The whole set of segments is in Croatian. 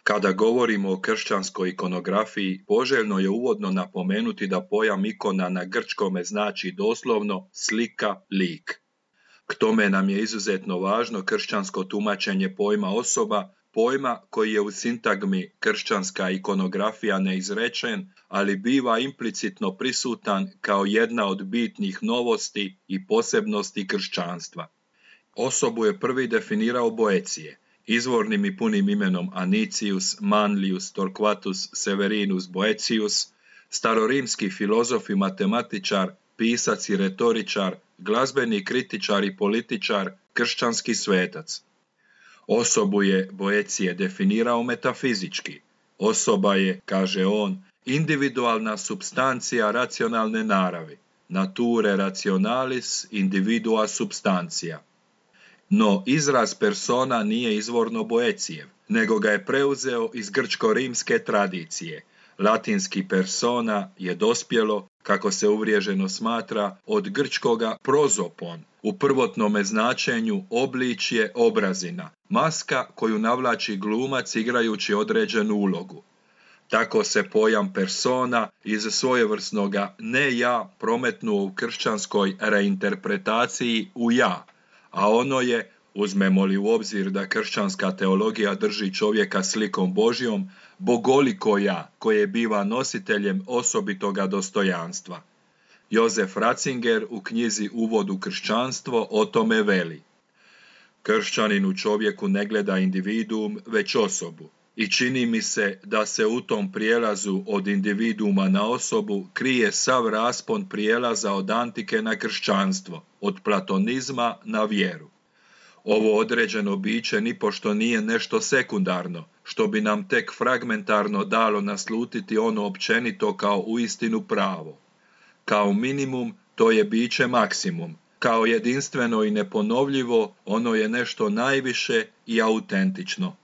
Kada govorimo o kršćanskoj ikonografiji, poželjno je uvodno napomenuti da pojam ikona na grčkome znači doslovno slika, lik. K tome nam je izuzetno važno kršćansko tumačenje pojma osoba, pojma koji je u sintagmi kršćanska ikonografija neizrečen, ali biva implicitno prisutan kao jedna od bitnih novosti i posebnosti kršćanstva. Osobu je prvi definirao Boecije, izvornim i punim imenom Anicius Manlius Torquatus Severinus Boetius, starorimski filozof i matematičar, pisac i retoričar, glazbeni kritičar i političar, kršćanski svetac. Osobu je Boecije definirao metafizički. Osoba je, kaže on, individualna supstancija racionalne naravi, nature rationalis individua substantia. No izraz persona nije izvorno Boecijev, nego ga je preuzeo iz grčko-rimske tradicije. Latinski persona je dospjelo, kako se uvriježeno smatra, od grčkoga prozopon, u prvotnome značenju obličje, obrazina, maska koju navlači glumac igrajući određenu ulogu. Tako se pojam persona iz svojevrsnoga ne ja prometnuo u kršćanskoj reinterpretaciji u ja, a ono je, uzmemo li u obzir da kršćanska teologija drži čovjeka slikom Božjom, bogoliko ja koje biva nositeljem osobitoga dostojanstva. Josef Ratzinger u knjizi Uvod u kršćanstvo o tome veli: kršćanin u čovjeku ne gleda individuum, već osobu. I čini mi se da se u tom prijelazu od individuuma na osobu krije sav raspon prijelaza od antike na kršćanstvo, od platonizma na vjeru. Ovo određeno biće nipošto nije nešto sekundarno, što bi nam tek fragmentarno dalo naslutiti ono općenito kao uistinu pravo. Kao minimum, to je biće maksimum. Kao jedinstveno i neponovljivo, ono je nešto najviše i autentično.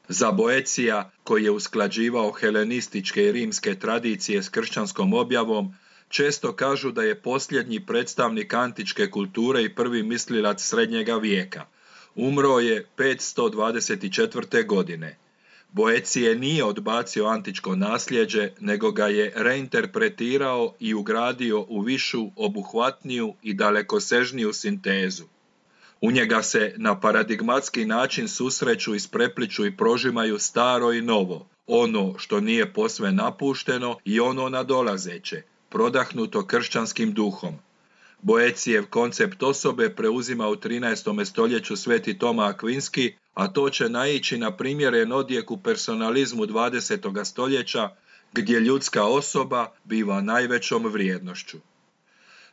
Za Boecija, koji je usklađivao helenističke i rimske tradicije s kršćanskom objavom, često kažu da je posljednji predstavnik antičke kulture i prvi mislilac srednjega vijeka. Umro je 524. godine. Boecije nije odbacio antičko nasljeđe, nego ga je reinterpretirao i ugradio u višu, obuhvatniju i dalekosežniju sintezu. U njega se na paradigmatski način susreću, isprepliču i prožimaju staro i novo, ono što nije posve napušteno i ono nadolazeće, prodahnuto kršćanskim duhom. Boecijev koncept osobe preuzima u 13. stoljeću sveti Toma Akvinski, a to će naići na primjeren odjek u personalizmu 20. stoljeća, gdje ljudska osoba biva najvećom vrijednošću.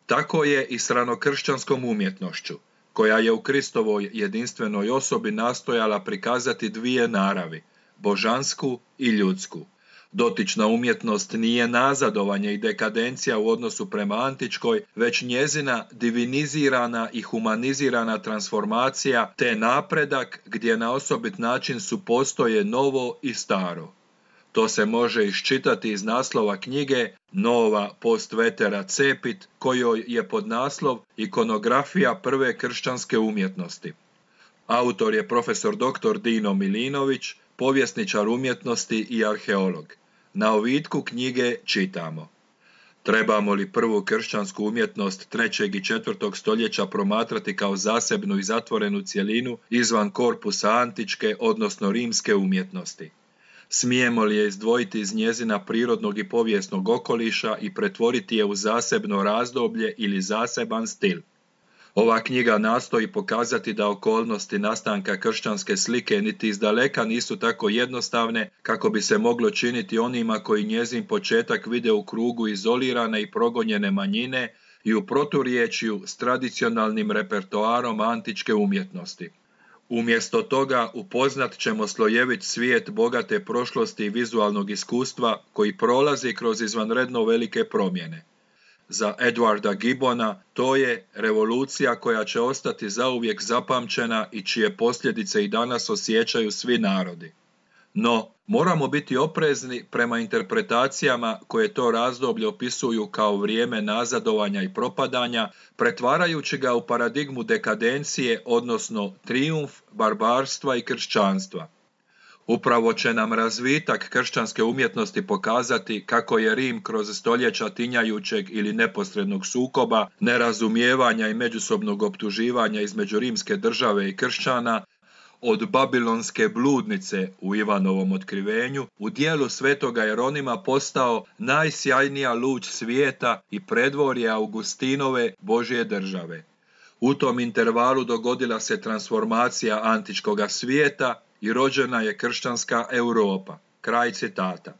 Tako je i s ranokršćanskom umjetnošću, koja je u Kristovoj jedinstvenoj osobi nastojala prikazati dvije naravi, božansku i ljudsku. Dotična umjetnost nije nazadovanje i dekadencija u odnosu prema antičkoj, već njezina divinizirana i humanizirana transformacija te napredak gdje na osobit način supostoje novo i staro. To se može iščitati iz naslova knjige Nova post vetera cepit, kojoj je podnaslov Ikonografija prve kršćanske umjetnosti. Autor je profesor dr. Dino Milinović, povjesničar umjetnosti i arheolog. Na ovitku knjige čitamo: trebamo li prvu kršćansku umjetnost 3. i 4. stoljeća promatrati kao zasebnu i zatvorenu cjelinu izvan korpusa antičke, odnosno rimske umjetnosti? Smijemo li je izdvojiti iz njezina prirodnog i povijesnog okoliša i pretvoriti je u zasebno razdoblje ili zaseban stil? Ova knjiga nastoji pokazati da okolnosti nastanka kršćanske slike niti izdaleka nisu tako jednostavne kako bi se moglo činiti onima koji njezin početak vide u krugu izolirane i progonjene manjine i u proturječju s tradicionalnim repertoarom antičke umjetnosti. Umjesto toga upoznat ćemo slojevit svijet bogate prošlosti i vizualnog iskustva koji prolazi kroz izvanredno velike promjene. Za Edwarda Gibbona to je revolucija koja će ostati zauvijek zapamćena i čije posljedice i danas osjećaju svi narodi. No, moramo biti oprezni prema interpretacijama koje to razdoblje opisuju kao vrijeme nazadovanja i propadanja, pretvarajući ga u paradigmu dekadencije, odnosno trijumf barbarstva i kršćanstva. Upravo će nam razvitak kršćanske umjetnosti pokazati kako je Rim kroz stoljeća tinjajućeg ili neposrednog sukoba, nerazumijevanja i međusobnog optuživanja između rimske države i kršćana, od babilonske bludnice u Ivanovom otkrivenju, u dijelu svetoga Jeronima postao najsjajnija luč svijeta i predvorje Augustinove Božje države. U tom intervalu dogodila se transformacija antičkoga svijeta i rođena je kršćanska Europa. Kraj citata.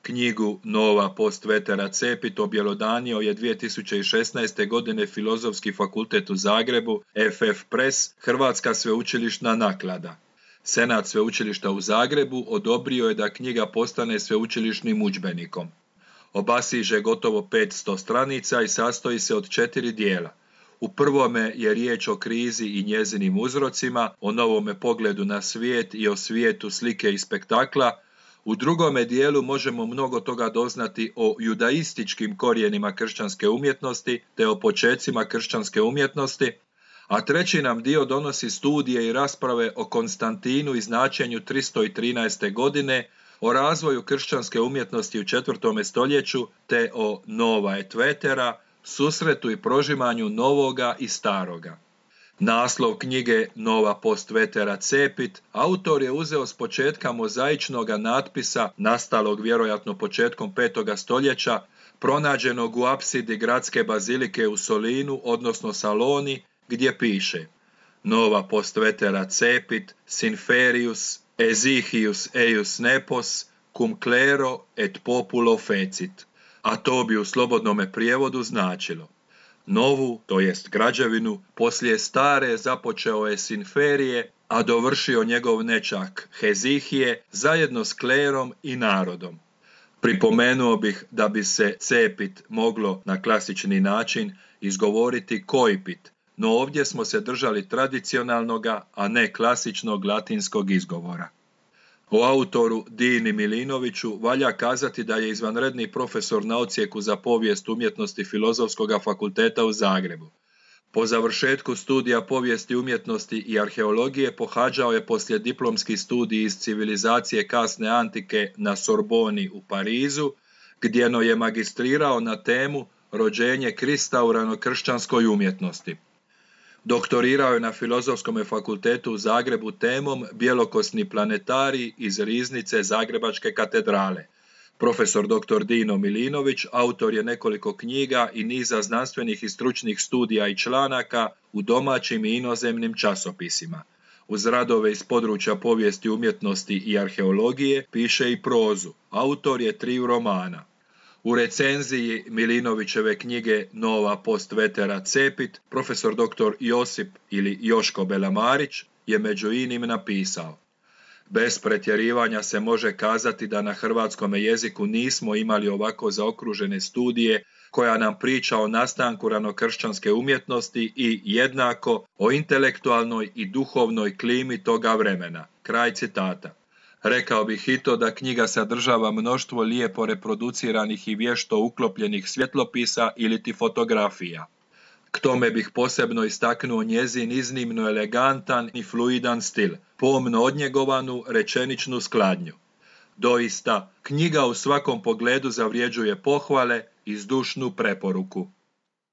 Knjigu Nova post vetera cepit objelodanio je 2016. godine Filozofski fakultet u Zagrebu, FF Press, Hrvatska sveučilišna naklada. Senat sveučilišta u Zagrebu odobrio je da knjiga postane sveučilišnim udžbenikom. Obasiže gotovo 500 stranica i sastoji se od 4 dijela. U prvome je riječ o krizi i njezinim uzrocima, o novome pogledu na svijet i o svijetu slike i spektakla. U drugome dijelu možemo mnogo toga doznati o judaističkim korijenima kršćanske umjetnosti te o počecima kršćanske umjetnosti, a treći nam dio donosi studije i rasprave o Konstantinu i značenju 313. godine, o razvoju kršćanske umjetnosti u 4. stoljeću te o Nova et vetera, susretu i prožimanju novoga i staroga. Naslov knjige Nova post vetera cepit autor je uzeo s početka mozaičnog natpisa, nastalog vjerojatno početkom 5. stoljeća, pronađenog u apsidi gradske bazilike u Solinu, odnosno Saloni, gdje piše: Nova post vetera cepit, sinferius, esihius eius nepos, cum clero et populo fecit. A to bi u slobodnome prijevodu značilo: novu, to jest građevinu, poslije stare započeo je Sinferije, a dovršio njegov nečak Hezihije zajedno s klerom i narodom. Pripomenuo bih da bi se cepit moglo na klasični način izgovoriti koipit, no ovdje smo se držali tradicionalnoga, a ne klasičnog latinskog izgovora. O autoru Dini Milinoviću valja kazati da je izvanredni profesor na odsjeku za povijest umjetnosti Filozofskog fakulteta u Zagrebu. Po završetku studija povijesti umjetnosti i arheologije pohađao je poslijediplomski studij iz civilizacije kasne antike na Sorboni u Parizu, gdje je magistrirao na temu rođenje Krista u ranokršćanskoj umjetnosti. Doktorirao je na Filozofskom fakultetu u Zagrebu temom Bjelokosni planetarij iz riznice Zagrebačke katedrale. Profesor dr. Dino Milinović autor je nekoliko knjiga i niza znanstvenih i stručnih studija i članaka u domaćim i inozemnim časopisima. Uz radove iz područja povijesti umjetnosti i arheologije piše i prozu. Autor je 3 romana. U recenziji Milinovićeve knjige Nova post vetera cepit, profesor dr. Josip ili Joško Belamarić je među inim napisao: bez pretjerivanja se može kazati da na hrvatskome jeziku nismo imali ovako zaokružene studije koja nam priča o nastanku ranokršćanske umjetnosti i jednako o intelektualnoj i duhovnoj klimi toga vremena. Kraj citata. Rekao bih i to da knjiga sadržava mnoštvo lijepo reproduciranih i vješto uklopljenih svjetlopisa iliti fotografija. K tome bih posebno istaknuo njezin iznimno elegantan i fluidan stil, pomno odnjegovanu rečeničnu skladnju. Doista, knjiga u svakom pogledu zavređuje pohvale i zdušnu preporuku.